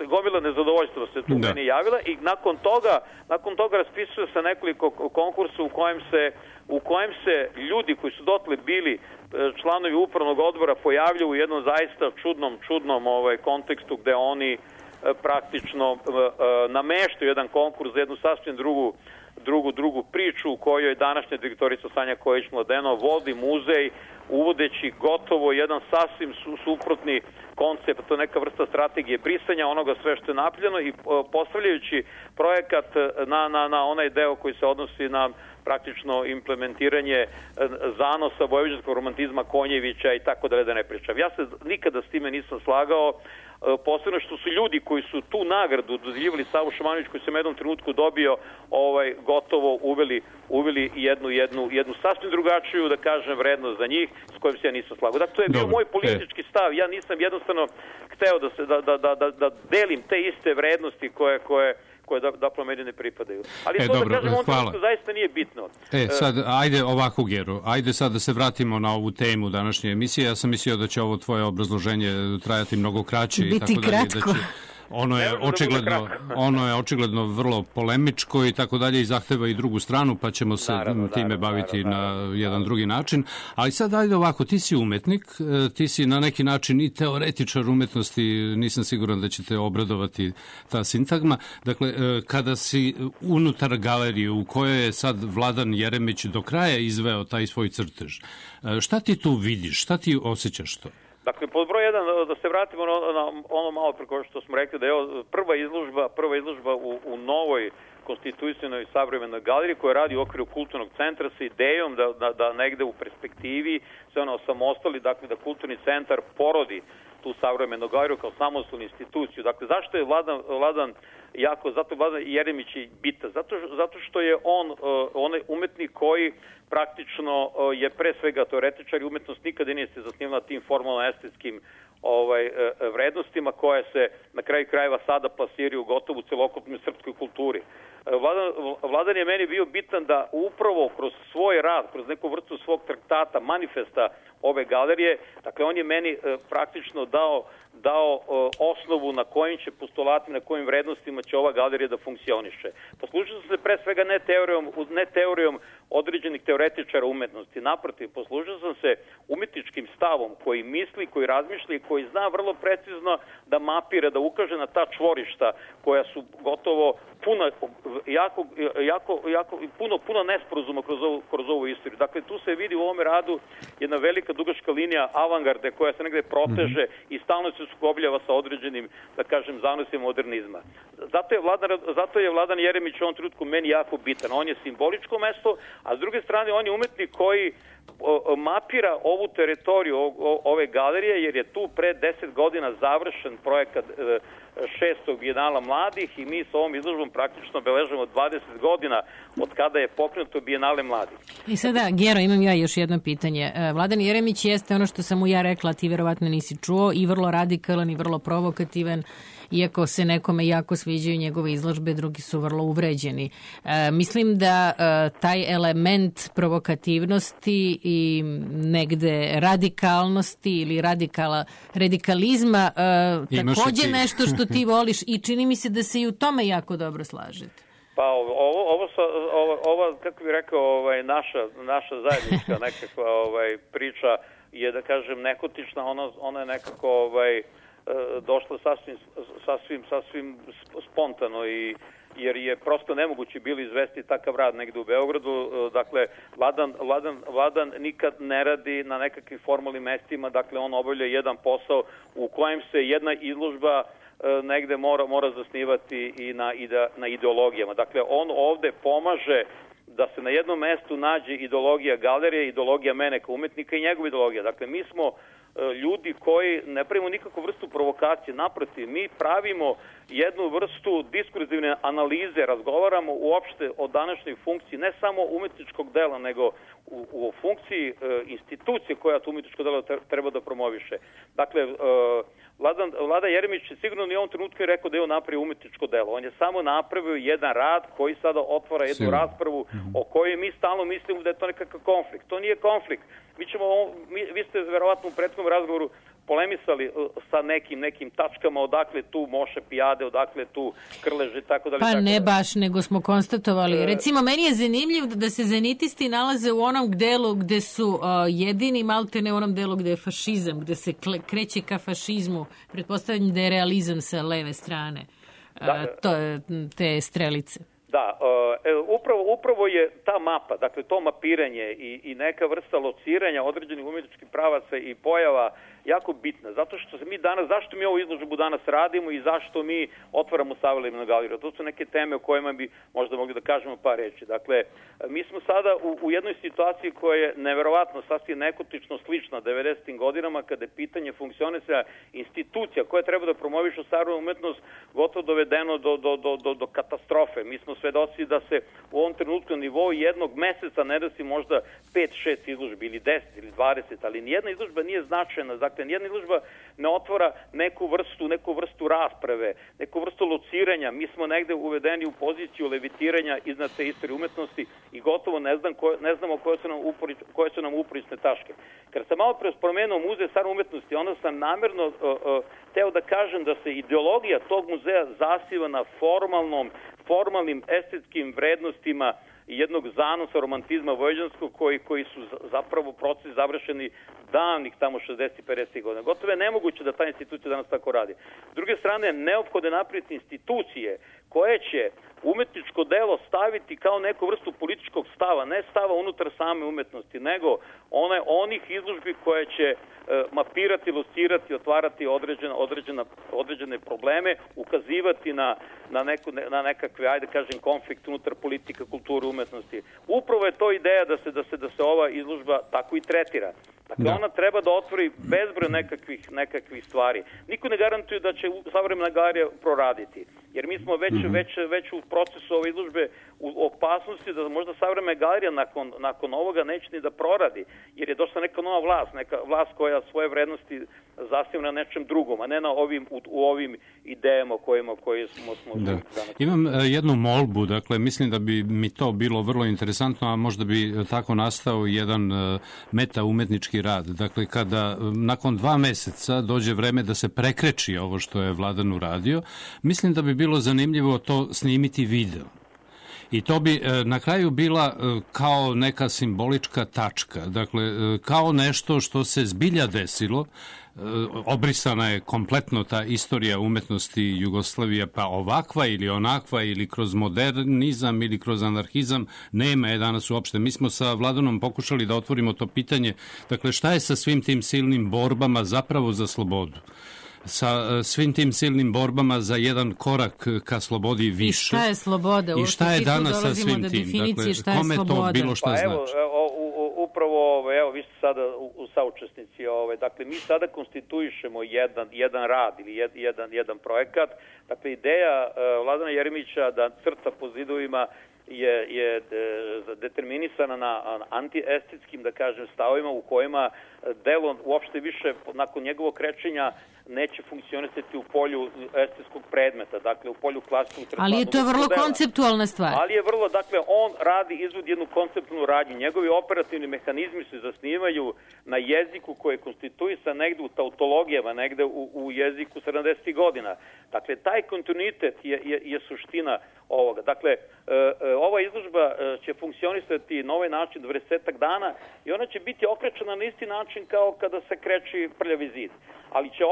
gomila nezadovoljstva se tu meni javila i nakon toga raspisuje se nekoliko konkursa u kojem se ljudi koji su dotle bili članovi upravnog odbora pojavljaju u jednom zaista čudnom kontekstu gde oni praktično nameštaju jedan konkurs za jednu sasvim drugu priču u kojoj današnja direktorica Sanja Kojić-Mladenov vodi muzej uvodeći gotovo jedan sasvim suprotni koncept, to je neka vrsta strategije brisanja onoga sve što je napljeno i postavljajući projekat na onaj deo koji se odnosi na praktično implementiranje zanosa vojvođanskog romantizma Konjevića i tako da ne pričam. Ja se nikada s time nisam slagao, posebno što su ljudi koji su tu nagradu dodeljivali Savu Šumanović, koji se u jednom trenutku dobio, gotovo uveli jednu sasvim drugačiju, da kažem, vrednost za njih, s kojim se ja nisam slagao. Dakle, to je bio moj politički stav. Ja nisam jednostavno hteo da delim te iste vrednosti koje da meni ne pripadaju. Ali to dobro, da kažem, on zaista nije bitno. Sad, ajde ovako, Gero, ajde sad da se vratimo na ovu temu današnje emisije. Ja sam mislio da će ovo tvoje obrazloženje trajati mnogo kraće. Biti kratko. Ono je očigledno vrlo polemičko i tako dalje i zahteva i drugu stranu, pa ćemo se time baviti na jedan drugi način. Ali sad ajde ovako, ti si umetnik, ti si na neki način i teoretičar umetnosti, nisam siguran da će te obradovati ta sintagma. Dakle, kada si unutar galerije u kojoj je sad Vladan Jeremić do kraja izveo taj svoj crtež, šta ti tu vidiš, šta ti osjećaš to? Dakle, pod broj 1, da se vratimo na ono malo preko što smo rekli, da je prva izložba u novoj konstituisanoj savremenoj galeriji koja radi u okviru kulturnog centra sa idejom da negde u perspektivi se ona osamostali, dakle da kulturni centar porodi tu savremenu galeriju kao samostalnu instituciju. Dakle, zašto je Vladan Jeremić bitan? Zato što je onaj umetnik koji praktično je pre svega teoretičar i umetnost nikada nije se zasnivala tim formalno-estetskim vrednostima koje se na kraju krajeva sada plasiraju gotovo u celokupnoj srpskoj kulturi. Vladan je meni bio bitan da upravo kroz svoj rad, kroz neku vrstu svog traktata, manifesta ove galerije, dakle on je meni praktično dao osnovu na kojim će postulatima, na kojim vrednostima će ova galerija da funkcioniše. Poslužio sam se pre svega ne teorijom određenih teoretičara umetnosti. Naprotiv, poslužio sam se umetničkim stavom koji misli, koji razmišlja i koji zna vrlo precizno da mapira, da ukaže na ta čvorišta koja su gotovo puno nesporazuma kroz ovu istoriju. Dakle, tu se vidi u ovome radu jedna velika dugačka linija avangarde koja se negde proteže i stalno se sukobljava sa određenim, da kažem, zanosima modernizma. Zato je Vladan Jeremić u ovom trenutku meni jako bitan. On je simboličko mesto, a s druge strane on je umetnik koji mapira ovu teritoriju ove galerije, jer je tu pre 10 godina završen projekat 6. bijenala mladih i mi s ovom izložbom praktično beležemo 20 godina od kada je pokrenuto bijenale mladih. I sada, Gero, imam ja još jedno pitanje. Vladan Jeremić jeste ono što sam mu ja rekla, ti verovatno nisi čuo, i vrlo radikalan i vrlo provokativan, iako se nekome jako sviđaju njegove izložbe, drugi su vrlo uvređeni. Mislim da taj element provokativnosti i negde radikalnosti ili radikalizma takođe nešto što ti voliš i čini mi se da se i u tome jako dobro slažete. Pa ovo kako bih rekao, naša zajednička nekakva priča je, da kažem, nehotična, ona je nekako došla sasvim spontano jer je prosto nemoguće bilo izvesti takav rad negde u Beogradu. Dakle, Vladan nikad ne radi na nekakvim formalnim mestima, dakle on obavlja jedan posao u kojem se jedna izložba negde mora zasnivati i na ideologijama. Dakle, on ovde pomaže da se na jednom mestu nađe ideologija galerije, ideologija mene kao umetnika i njegova ideologija. Dakle, mi smo ljudi koji ne pravimo nikakvu vrstu provokacije. Naprotiv, mi pravimo jednu vrstu diskurzivne analize, razgovaramo uopšte o današnjoj funkciji, ne samo umetničkog dela, nego u funkciji institucije koja to umetničko delo treba da promoviše. Dakle, Vlada Jeremić sigurno ni u ovom trenutku je rekao da je on napravio umetničko delo. On je samo napravio jedan rad koji sada otvara jednu raspravu o kojoj mi stalno mislimo da je to nekakav konflikt. To nije konflikt. Vi ste verovatno u prethodnom razgovoru polemisali sa nekim tačkama, odakle tu Moše Pijade, odakle tu Krleže, tako dalje. Pa ne baš, nego smo konstatovali. Recimo, meni je zanimljivo da se zenitisti nalaze u onom delu gde su jedini, maltene u onom delu gde je fašizam, gde se kreće ka fašizmu. Pretpostavljam da je realizam sa leve strane. To je te strelice. Da, upravo je ta mapa, dakle to mapiranje i neka vrsta lociranja određenih umjetničkih pravaca i pojava jako bitna, zato što zašto mi ovu izložbu danas radimo i zašto mi otvaramo Savremenu galeriju. To su neke teme o kojima bi možda mogli da kažemo par reči. Dakle, mi smo sada u jednoj situaciji koja je neverovatno sasvim nekotično slična 90. godinama, kada je pitanje funkcionisanja institucija koje treba da promovišu savremenu umetnost gotovo dovedeno do katastrofe. Mi smo svedoci da se u ovom trenutku na nivou jednog meseca ne desi možda 5-6 izložbi ili 10 ili 20, ali nijedna izložba nije značajna. Dakle, nijedna izložba ne otvara neku vrstu rasprave, neku vrstu lociranja. Mi smo negde uvedeni u poziciju levitiranja iznad te istorije umetnosti i gotovo ne znamo koje su nam uporišne tačke. Kad sam malo pre spomenuo muzej savremene umetnosti, onda sam namerno teo da kažem da se ideologija tog muzeja zasiva na formalnim estetskim vrednostima jednog zanosa romantizma vojvođanskog koji su zapravo procesi završeni davnih tamo 60-50 godina. Gotovo je nemoguće da ta institucija danas tako radi. S druge strane, neophodno je napraviti institucije koje će umetničko delo staviti kao neku vrstu političkog stava, ne stava unutar same umetnosti, nego onih izložbi koje će mapirati, locirati, otvarati određene probleme, ukazivati na nekakve, ajde kažem, konflikt unutar politika, kulture, umetnosti. Upravo je to ideja da se ova izložba tako i tretira. Dakle, ona treba da otvori bezbroj nekakvih stvari. Niko ne garantuje da će savremena galerija proraditi, jer mi smo već u procesu ove izložbe u opasnosti da možda savremena galerija nakon ovoga neće ni da proradi, jer je došla neka nova vlast koja svoje vrednosti zasniva na nečem drugom, a ne u ovim idejama koje smo danas. Imam jednu molbu, dakle, mislim da bi mi to bilo vrlo interesantno, a možda bi tako nastao jedan meta-umetnički rad. Dakle, kada nakon 2 meseca dođe vreme da se prekreči ovo što je Vladan uradio, mislim da bi bilo zanimljivo to snimiti video. I to bi na kraju bila kao neka simbolička tačka, dakle, kao nešto što se zbilja desilo. Obrisana je kompletno ta istorija umetnosti Jugoslavije, pa ovakva ili onakva ili kroz modernizam ili kroz anarhizam nema je danas uopšte. Mi smo sa Vladanom pokušali da otvorimo to pitanje, dakle, šta je sa svim tim silnim borbama zapravo za slobodu, sa svim tim silnim borbama za jedan korak ka slobodi više. I šta je sloboda? I šta je danas sa svim tim? Dakle, kome to bilo šta znači? Upravo, evo, vi ste sada u saučesnici, dakle, mi sada konstituišemo jedan rad ili jedan projekat. Dakle, ideja Vladana Jeremića da crta po zidovima je determinisana na antiestetskim, da kažem, stavovima u kojima delo uopšte više nakon njegovog krečenja neće funkcionisati u polju estetskog predmeta, dakle u polju klasičnog crtanja. Ali je to vrlo konceptualna stvar. Ali je vrlo, dakle, on izvodi jednu konceptualnu radnju. Njegovi operativni mehanizmi se zasnivaju na jeziku koji je konstituisan negde u tautologijama, negde u jeziku 70. godina. Dakle, taj kontinuitet je suština ovoga. Dakle, ova izložba će funkcionisati na ovaj način 20 dana i ona će biti okrečena na isti način kao kada se kreći prljavi zid. Ali će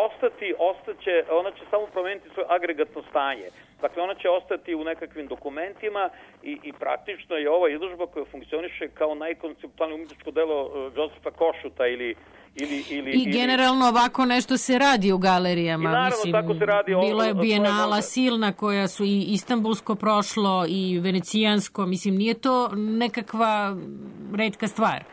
ona će samo promeniti svoje agregatno stanje. Dakle, ona će ostati u nekakvim dokumentima i praktično je ova izložba koja funkcioniše kao najkonceptualnije umetničko delo Josefa Košuta ili generalno ovako nešto se radi u galerijama. I naravno, tako se radi. Bilo je bijenala silna koja su i istanbulsko prošlo i venecijansko. Mislim, nije to nekakva retka stvar.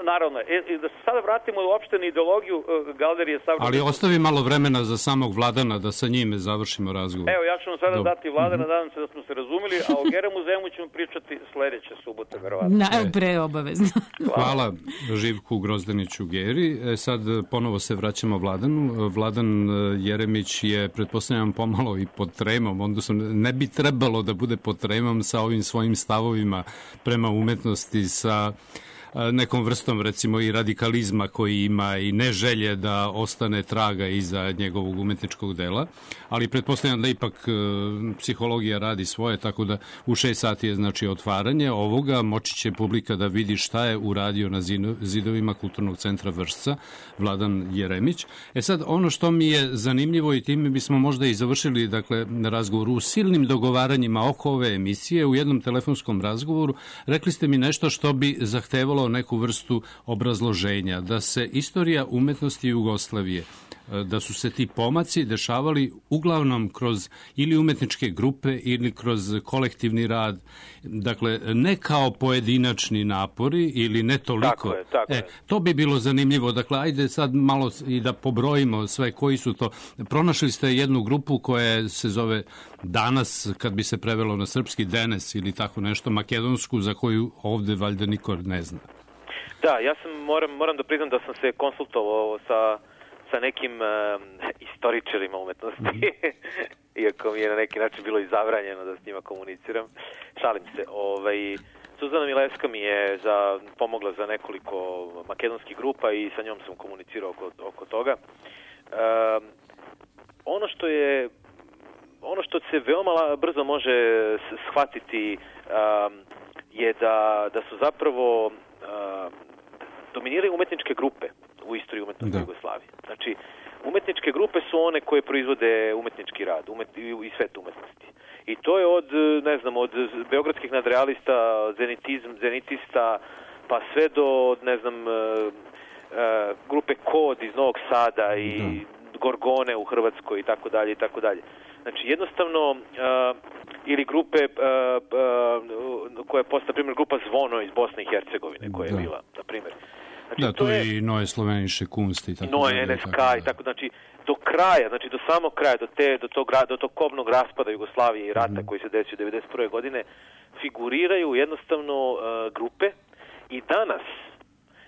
Naravno, da se sada vratimo uopšte na ideologiju Galerije savremene. Ali ostavi malo vremena za samog Vladana da sa njime završimo razgovor. Evo, ja ću vam sada dati Vladana, nadam se da smo se razumeli, a o Gera muzejmu ćemo pričati sledeće subote, verovatno. Preobavezno. Hvala Živku Grozdaniću Geri. Sad ponovo se vraćamo Vladanu. Vladan Jeremić je, pretpostavljam, pomalo i pod tremom, odnosno ne bi trebalo da bude pod tremom sa ovim svojim stavovima prema umetnosti, sa nekom vrstom, recimo, i radikalizma koji ima i ne želje da ostane traga iza njegovog umetničkog dela, ali pretpostavljam da ipak psihologija radi svoje, tako da u 6 sati je, znači, otvaranje ovoga, moći će publika da vidi šta je uradio na zidovima Kulturnog centra Vršca Vladan Jeremić. Sad, ono što mi je zanimljivo, i time bismo možda i završili, dakle, na razgovoru, u silnim dogovaranjima oko ove emisije, u jednom telefonskom razgovoru, rekli ste mi nešto što bi zahtevalo neku vrstu obrazloženja, da se istorija umetnosti Jugoslavije, da su se ti pomaci dešavali uglavnom kroz ili umetničke grupe ili kroz kolektivni rad, dakle ne kao pojedinačni napori ili ne toliko. Tako je. To bi bilo zanimljivo, dakle ajde sad malo i da pobrojimo sve koji su to. Pronašli ste jednu grupu koja se zove danas, kad bi se prevelo na srpski, Denes ili tako nešto, makedonsku, za koju ovde valjda niko ne zna. Da, ja sam moram da priznam da sam se konsultovao sa nekim istoričarima umetnosti, iako mi je na neki način bilo i zabranjeno da s njima komuniciram. Šalim se. Suzana Milevska mi je pomogla za nekoliko makedonskih grupa i sa njom sam komunicirao oko toga. Ono što se veoma brzo može shvatiti je da su zapravo dominiraju umetničke grupe u istoriji umetnosti Jugoslavije. Znači, umetničke grupe su one koje proizvode umetnički rad i svet umetnosti. I to je od beogradskih nadrealista, zenitista, pa sve do, grupe Kod iz Novog Sada i Gorgone u Hrvatskoj i tako dalje i tako dalje. Znači, jednostavno, ili grupe koja je postala, na primjer, grupa Zvono iz Bosne i Hercegovine, koja je bila, na primjer. Znači, to je i Noe Sloveniše Kunst i tako dalje. Noe NSK i tako, znači, do kraja, znači do samog kraja, do tog kobnog raspada Jugoslavije i rata koji se desio 1991. godine, figuriraju jednostavno grupe i danas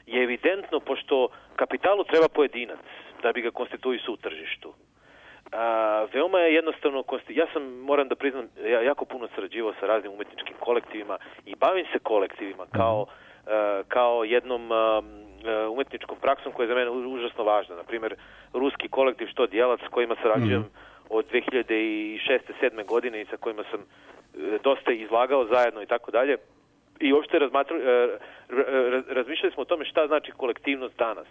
je evidentno, pošto kapitalu treba pojedinac da bi ga konstituisao u tržištu. Veoma je jednostavno, moram da priznam, ja jako puno sarađivao sa raznim umetničkim kolektivima i bavim se kolektivima kao jednom umetničkom praksom koja je za mene užasno važna. Naprimjer, ruski kolektiv Što Djelac, s kojima sarađujem od 2006-2007. godine i sa kojima sam dosta izlagao zajedno i tako dalje. I uopšte razmišljali smo o tome šta znači kolektivnost danas.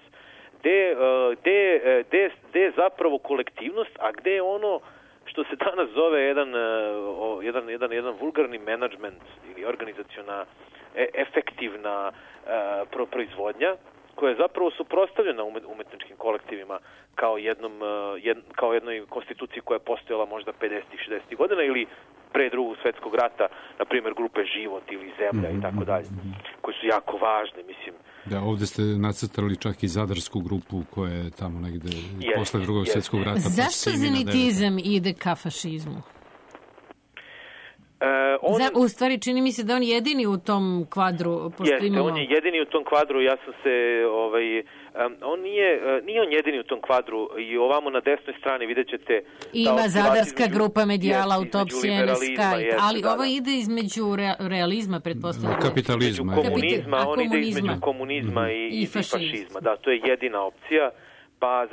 Gde je zapravo kolektivnost, a gde je ono što se danas zove jedan vulgarni menadžment ili organizaciona efektivna proizvodnja, koja je zapravo suprotstavljena umetničkim kolektivima kao jednoj konstituciji koja je postojala možda 50-60 godina ili pre Drugog svetskog rata, na primjer grupe Život ili Zemlja i tako dalje, koje su jako važne, mislim. Da, ovde ste nacrtali čak i zadarsku grupu koja je tamo negde posle Drugog svetskog rata. Zašto zenitizam ide ka fašizmu? U stvari, čini mi se da on jedini u tom kvadru. Jeste, on je jedini u tom kvadru, ja sam se, nije on jedini u tom kvadru i ovamo na desnoj strani vidjet ćete... Ima zadarska grupa Medijala, Autopsija, NSK, ali ovo ide između realizma, pretpostavljamo. Kapitalizma. On ide između komunizma i fašizma. Da, to je jedina opcija. Pa,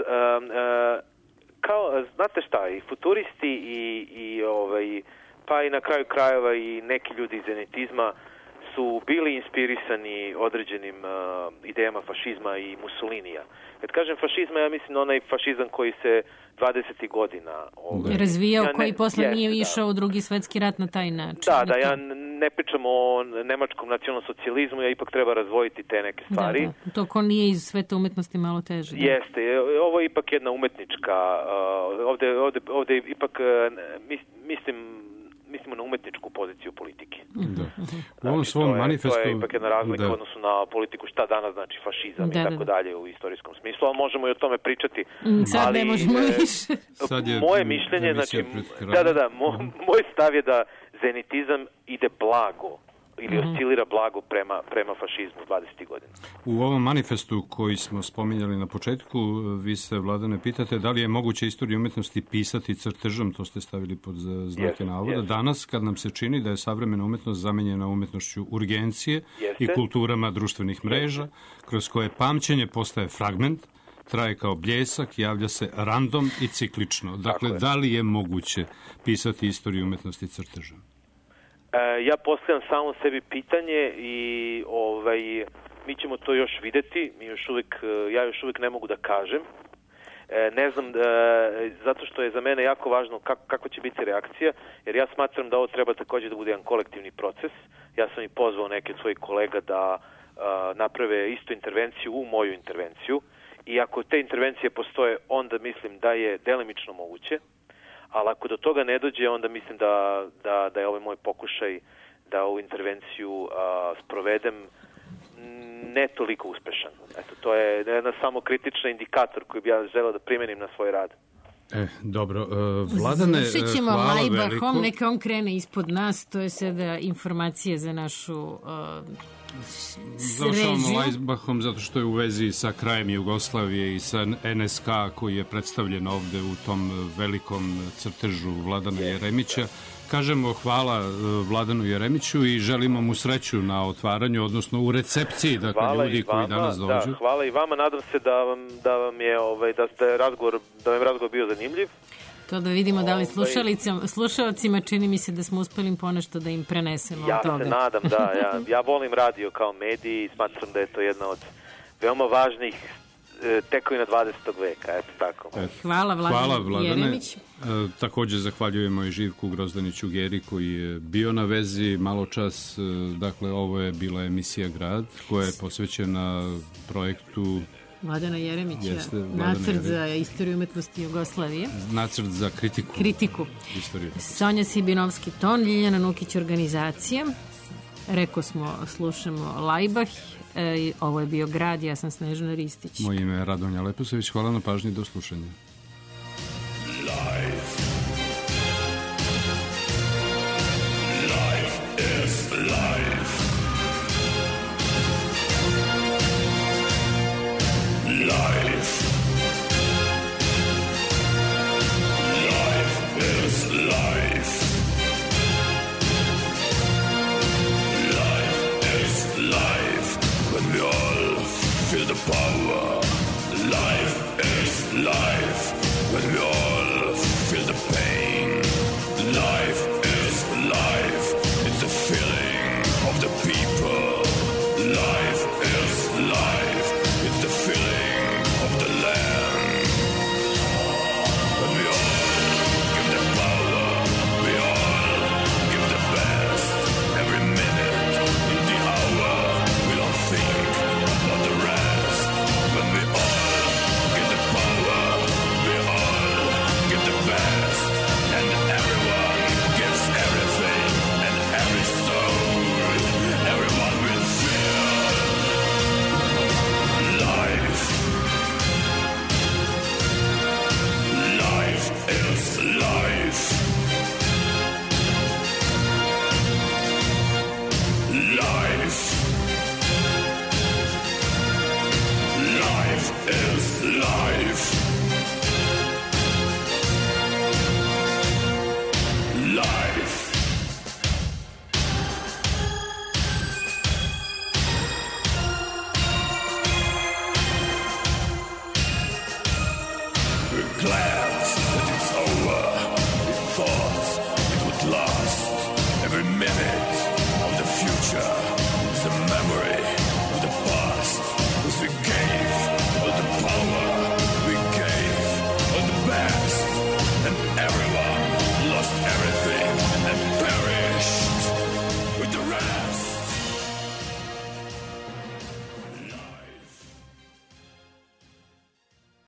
znate šta, i futuristi pa i na kraju krajeva i neki ljudi iz zenitizma su bili inspirisani određenim idejama fašizma i Mussolinija. Kad kažem fašizma, ja mislim na onaj fašizam koji se 20. godina razvijao, koji posle nije išao u Drugi svetski rat na taj način. Da, ja ne pričam o nemačkom nacionalsocijalizmu, ja ipak treba razvojiti te neke stvari. Da. To ko nije iz sveta umetnosti malo teže. Jeste, ovo je ipak jedna umetnička, ovde ipak mislim mislimo na umetničku poziciju politike. Da. U ovom svom manifestu... To je ipak jedna razlika u odnosu na politiku šta danas znači fašizam i tako dalje u istorijskom smislu, ali možemo i o tome pričati. Sad ne možemo više. Moje mišljenje, znači, moj stav je da zenitizam ide blago ili oscilira blago prema fašizmu 20. godina. U ovom manifestu koji smo spominjali na početku, vi se, Vladane, pitate da li je moguće istoriju umetnosti pisati crtežom, to ste stavili pod znake navoda. Danas, kad nam se čini da je savremena umetnost zamenjena umetnošću urgencije i kulturama društvenih mreža, kroz koje pamćenje postaje fragment, traje kao bljesak, javlja se random i ciklično. Dakle, da li je moguće pisati istoriju umetnosti crtežom? Ja postavljam samo sebi pitanje i mi ćemo to još videti. Ja još uvijek ne mogu da kažem. Ne znam, zato što je za mene jako važno kako će biti reakcija, jer ja smatram da ovo treba također da bude jedan kolektivni proces. Ja sam i pozvao neke od svojih kolega da naprave istu intervenciju u moju intervenciju i ako te intervencije postoje, onda mislim da je delimično moguće. Ali ako do toga ne dođe, onda mislim da je ovaj moj pokušaj da ovu intervenciju sprovedem ne toliko uspešan. Eto, to je jedan samo kritični indikator koji bi ja želeo da primenim na svoj rad. Dobro. Vladane, završit ćemo hvala Lajbahom, veliko. neka on krene ispod nas, to je sada informacije za našu Završavamo Lajbahom zato što je u vezi sa krajem Jugoslavije i sa NSK koji je predstavljen ovde u tom velikom crtežu Vladana Jeremića. Kažemo hvala Vladanu Jeremiću i želimo mu sreću na otvaranju, odnosno u recepciji, dakle, ljudi koji danas dođu. Da, hvala i vama, nadam se da vam je razgovor bio zanimljiv. To da vidimo da li slušalcima čini mi se da smo uspeli ponešto da im prenesemo od toga. Ja se nadam, da. Ja volim radio kao medij i smatram da je to jedna od veoma važnih tekovina 20. veka, eto tako. Hvala Vladane Jeremić. Također zahvaljujemo i Živku Grozdaniću Geri koji je bio na vezi malo čas. Dakle, ovo je bila emisija Grad koja je posvećena projektu Vladana Jeremića, nacrt za istoriju umetnosti Jugoslavije. Nacrt za kritiku. Sonja Sibinovski-Ton, Ljiljana Nukić organizacija. Reko smo, slušamo Lajbah. Ovo je bio Grad, ja sam Snežana Ristić. Moje ime je Radonja Leposević, hvala na pažnji, do slušanja. Life is life. Life is life. When we all feel the power, life is life. When we all feel the pain, life is life. It's the feeling of the people. Life is life. It's the feeling of the land. When we all give the power, we all give the best. Every minute in the hour, we don't think about the rest. When we all get the power, we all get the best. And everyone gives everything and every soul. Everyone will feel life. Life is life. Life. Life is life. Life. We're glad